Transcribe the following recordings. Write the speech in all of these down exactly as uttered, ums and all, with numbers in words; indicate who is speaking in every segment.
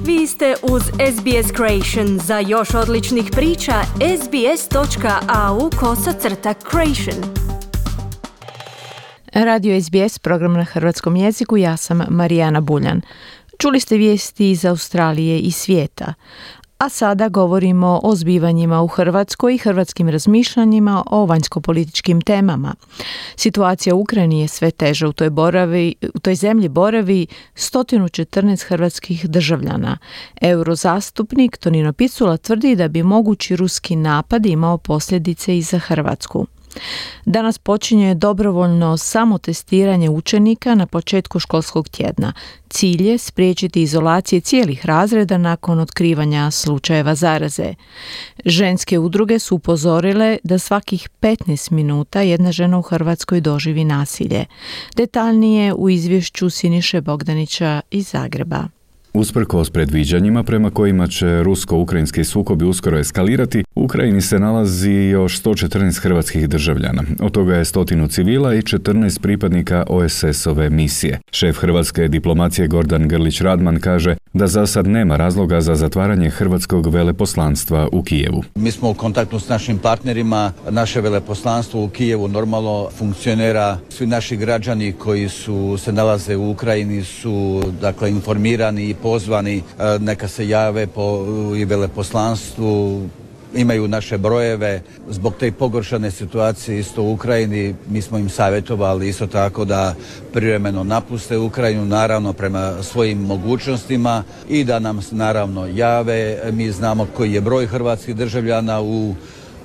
Speaker 1: Vi ste uz S B S Creation. Za još odličnih priča, sbs.au kosacrta creation.
Speaker 2: Radio S B S, program na hrvatskom jeziku, ja sam Marijana Buljan. Čuli ste vijesti iz Australije i svijeta. A sada govorimo o zbivanjima u Hrvatskoj i hrvatskim razmišljanjima o vanjskopolitičkim temama. Situacija u Ukrajini je sve teža. U toj, boravi, u toj zemlji boravi sto četrnaest hrvatskih državljana. Eurozastupnik Tonino Picula tvrdi da bi mogući ruski napad imao posljedice i za Hrvatsku. Danas počinje dobrovoljno samotestiranje učenika na početku školskog tjedna. Cilj je spriječiti izolacije cijelih razreda nakon otkrivanja slučajeva zaraze. Ženske udruge su upozorile da svakih petnaest minuta jedna žena u Hrvatskoj doživi nasilje. Detaljnije u izvješću Siniše Bogdanića iz Zagreba.
Speaker 3: Usprkos predviđanjima prema kojima će rusko-ukrajinski sukobi uskoro eskalirati, u Ukrajini se nalazi još sto četrnaest hrvatskih državljana. Od toga je stotinu civila i četrnaest pripadnika O S S-ove misije. Šef hrvatske diplomacije Gordan Grlić-Radman kaže da za sad nema razloga za zatvaranje hrvatskog veleposlanstva u Kijevu.
Speaker 4: Mi smo u kontaktu s našim partnerima. Naše veleposlanstvo u Kijevu normalno funkcionira. Svi naši građani koji su se nalaze u Ukrajini su dakle informirani i pozvani, neka se jave po i veleposlanstvu, imaju naše brojeve. Zbog te pogoršane situacije isto u Ukrajini mi smo im savjetovali isto tako da privremeno napuste Ukrajinu, naravno prema svojim mogućnostima, i da nam naravno jave. Mi znamo koji je broj hrvatskih državljana u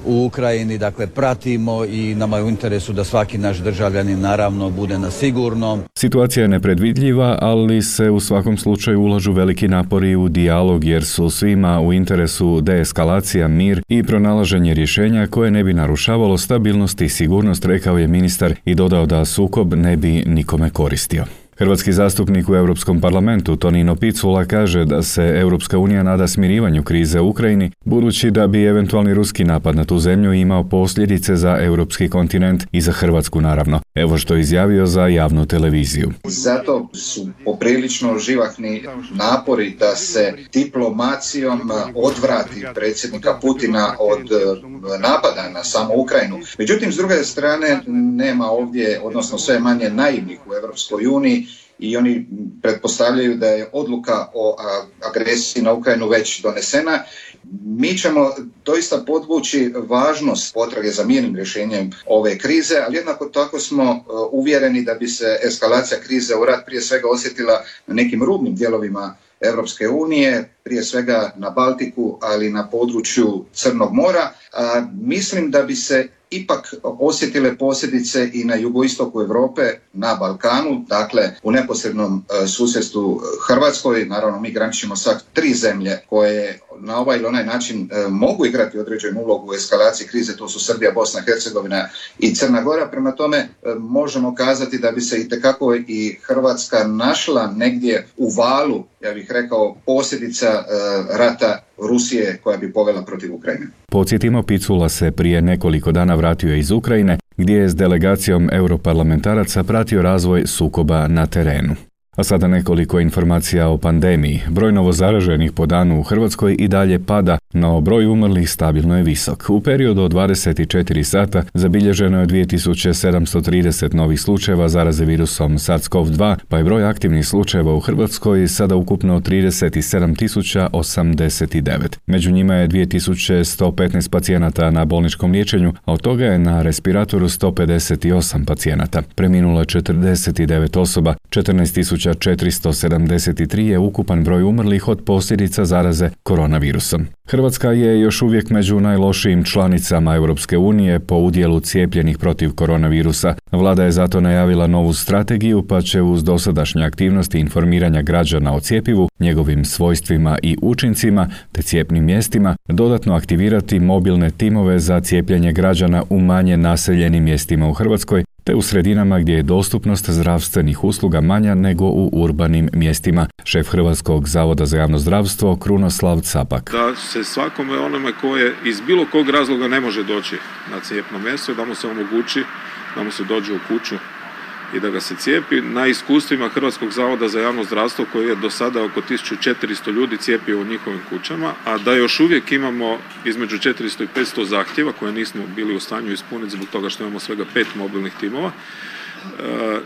Speaker 4: u Ukrajini, dakle pratimo i nama je u interesu da svaki naš državljanin naravno bude na sigurnom.
Speaker 3: Situacija je nepredvidljiva, ali se u svakom slučaju ulažu veliki napori u dijalog jer su svima u interesu deeskalacija, mir i pronalaženje rješenja koje ne bi narušavalo stabilnost i sigurnost, rekao je ministar i dodao da sukob ne bi nikome koristio. Hrvatski zastupnik u Europskom parlamentu Tonino Picula kaže da se Europska unija nada smirivanju krize u Ukrajini, budući da bi eventualni ruski napad na tu zemlju imao posljedice za europski kontinent i za Hrvatsku naravno. Evo što je izjavio za javnu televiziju.
Speaker 5: Zato su poprilično živahni napori da se diplomacijom odvrati predsjednika Putina od napada na samu Ukrajinu. Međutim, s druge strane, nema ovdje, odnosno sve manje naivnih u Europskoj uniji, i oni pretpostavljaju da je odluka o agresiji na Ukrajinu već donesena. Mi ćemo doista podvući važnost potrage za mirnim rješenjem ove krize, ali jednako tako smo uvjereni da bi se eskalacija krize u rat prije svega osjetila na nekim rubnim dijelovima Europske unije, prije svega na Baltiku, ali na području Crnog mora. A, mislim da bi se ipak osjetile posljedice i na jugoistoku Europe, na Balkanu, dakle u neposrednom e, susjedstvu Hrvatskoj. Naravno, mi graničimo sa tri zemlje koje na ovaj ili onaj način e, mogu igrati određenu ulogu u eskalaciji krize, to su Srbija, Bosna, Hercegovina i Crna Gora. Prema tome, e, možemo kazati da bi se itekako i Hrvatska našla negdje u valu, ja bih rekao, posljedica e, rata Rusije koja bi povela protiv Ukrajine.
Speaker 3: Podsjetimo, Picula se prije nekoliko dana vratio iz Ukrajine, gdje je s delegacijom europarlamentaraca pratio razvoj sukoba na terenu. A sada nekoliko informacija o pandemiji. Broj novozaraženih po danu u Hrvatskoj i dalje pada, no broj umrlih stabilno je visok. U periodu od dvadeset četiri sata zabilježeno je dvije tisuće sedamsto trideset novih slučajeva zaraze virusom SARS-C o V dva, pa je broj aktivnih slučajeva u Hrvatskoj sada ukupno trideset sedam tisuća osamdeset devet. Među njima je dvije tisuće sto petnaest pacijenata na bolničkom liječenju, a od toga je na respiratoru sto pedeset osam pacijenata. Preminulo je četrdeset devet osoba, četrnaest tisuća četiristo sedamdeset tri je ukupan broj umrlih od posljedica zaraze koronavirusom. Hrvatska je još uvijek među najlošijim članicama Europske unije po udjelu cijepljenih protiv koronavirusa. Vlada je zato najavila novu strategiju, pa će uz dosadašnje aktivnosti informiranja građana o cjepivu, njegovim svojstvima i učincima te cijepnim mjestima dodatno aktivirati mobilne timove za cijepljenje građana u manje naseljenim mjestima u Hrvatskoj, te u sredinama gdje je dostupnost zdravstvenih usluga manja nego u urbanim mjestima. Šef Hrvatskog zavoda za javno zdravstvo Krunoslav Capak.
Speaker 6: Da se svakome onome koje iz bilo kog razloga ne može doći na cijepno mjesto, da mu se omogući da mu se dođe u kuću i da ga se cijepi. Na iskustvima Hrvatskog zavoda za javno zdravstvo koji je do sada oko tisuću četiristo ljudi cijepio u njihovim kućama, a da još uvijek imamo između četiristo i petsto zahtjeva koje nismo bili u stanju ispuniti zbog toga što imamo svega pet mobilnih timova.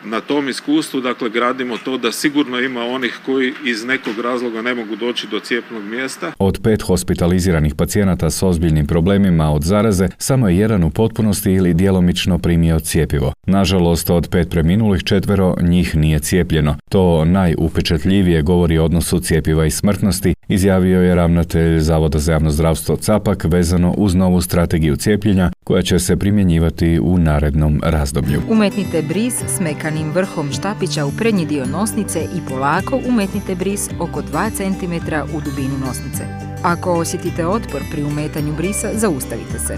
Speaker 6: Na tom iskustvu, dakle, gradimo to da sigurno ima onih koji iz nekog razloga ne mogu doći do cijepnog mjesta.
Speaker 3: Od pet hospitaliziranih pacijenata s ozbiljnim problemima od zaraze, samo je jedan u potpunosti ili djelomično primio cjepivo. Nažalost, od pet preminulih četvero njih nije cijepljeno. To najupečatljivije govori o odnosu cjepiva i smrtnosti, izjavio je ravnatelj Zavoda za javno zdravstvo Capak vezano uz novu strategiju cijepljenja koja će se primjenjivati u narednom razdoblju.
Speaker 7: Umetnite bris s mekanim vrhom štapića u prednji dio nosnice i polako umetnite bris oko dva centimetra u dubinu nosnice. Ako osjetite otpor pri umetanju brisa, zaustavite se.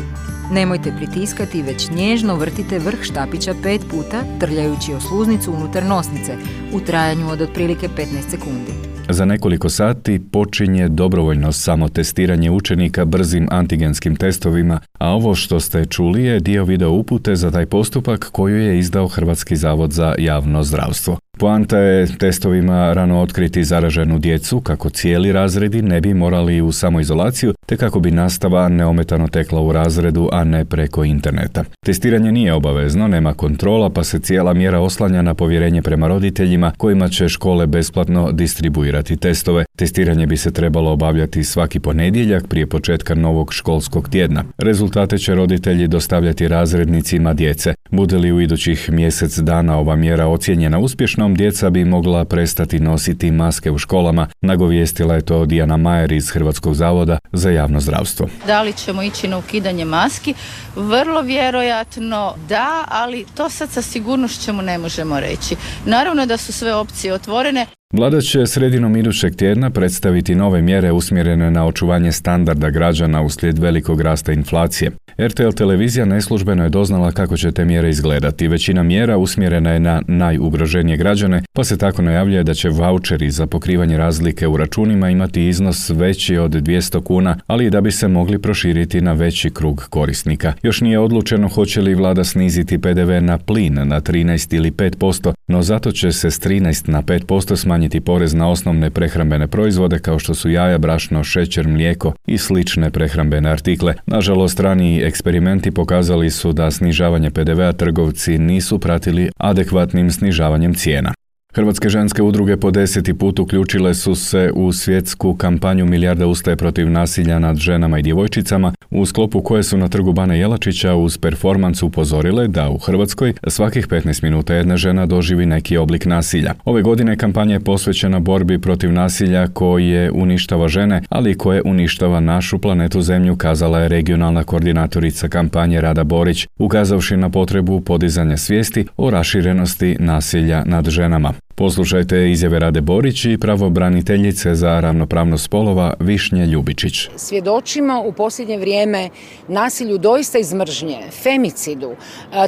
Speaker 7: Nemojte pritiskati, već nježno vrtite vrh štapića pet puta, trljajući o sluznicu unutar nosnice u trajanju od otprilike petnaest sekundi.
Speaker 3: Za nekoliko sati počinje dobrovoljno samotestiranje učenika brzim antigenskim testovima, a ovo što ste čuli je dio video upute za taj postupak koju je izdao Hrvatski zavod za javno zdravstvo. Poanta je testovima rano otkriti zaraženu djecu kako cijeli razredi ne bi morali u samoizolaciju, te kako bi nastava neometano tekla u razredu, a ne preko interneta. Testiranje nije obavezno, nema kontrola, pa se cijela mjera oslanja na povjerenje prema roditeljima kojima će škole besplatno distribuirati testove. Testiranje bi se trebalo obavljati svaki ponedjeljak prije početka novog školskog tjedna. Rezultate će roditelji dostavljati razrednicima djece. Bude li u idućih mjesec dana ova mjera ocijenjena uspješnom, djeca bi mogla prestati nositi maske u školama, nagovijestila je to Dijana Majer iz Hrvatskog zavoda za javno zdravstvo.
Speaker 8: Da li ćemo ići na ukidanje maski? Vrlo vjerojatno da, ali to sad sa sigurnošću ne možemo reći. Naravno da su sve opcije otvorene.
Speaker 3: Vlada će sredinom idućeg tjedna predstaviti nove mjere usmjerene na očuvanje standarda građana uslijed velikog rasta inflacije. R T L televizija neslužbeno je doznala kako će te mjere izgledati. Većina mjera usmjerena je na najugroženije građane, pa se tako najavljuje da će vaučeri za pokrivanje razlike u računima imati iznos veći od dvjesto kuna, ali i da bi se mogli proširiti na veći krug korisnika. Još nije odlučeno hoće li vlada sniziti P D V na plin na trinaest ili pet posto, no zato će se s trinaest na pet posto smanjiti porez na osnovne prehrambene proizvode kao što su jaja, brašno, šećer, mlijeko i slične prehrambene artikle. Nažalost, raniji eksperimenti pokazali su da snižavanje P D V-a trgovci nisu pratili adekvatnim snižavanjem cijena. Hrvatske ženske udruge po deseti put uključile su se u svjetsku kampanju Milijarda ustaje protiv nasilja nad ženama i djevojčicama, u sklopu koje su na trgu Bana Jelačića uz performans upozorile da u Hrvatskoj svakih petnaest minuta jedna žena doživi neki oblik nasilja. Ove godine kampanja je posvećena borbi protiv nasilja koje uništava žene, ali i koje uništava našu planetu Zemlju, kazala je regionalna koordinatorica kampanje Rada Borić, ukazavši na potrebu podizanja svijesti o raširenosti nasilja nad ženama. Poslušajte izjave Rade Borić i pravobraniteljice za ravnopravnost spolova Višnje Ljubičić.
Speaker 9: Svjedočimo u posljednje vrijeme nasilju doista iz mržnje, femicidu.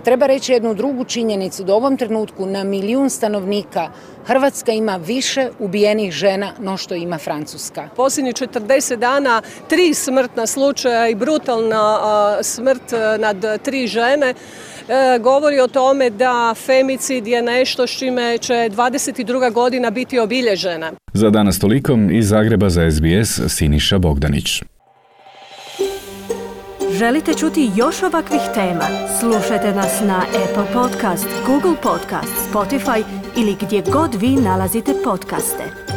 Speaker 9: Treba reći jednu drugu činjenicu, da u ovom trenutku na milijun stanovnika Hrvatska ima više ubijenih žena no što ima Francuska.
Speaker 10: Posljednjih četrdeset dana tri smrtna slučaja i brutalna smrt nad tri žene govori o tome da femicid je nešto s čime će dvadeset druga godina biti obilježena.
Speaker 3: Za danas toliko, iz Zagreba za S B S Siniša Bogdanić.
Speaker 1: Želite čuti još ovakvih tema? Slušajte nas na Apple Podcast, Google Podcast, Spotify ili gdje god vi nalazite podcaste.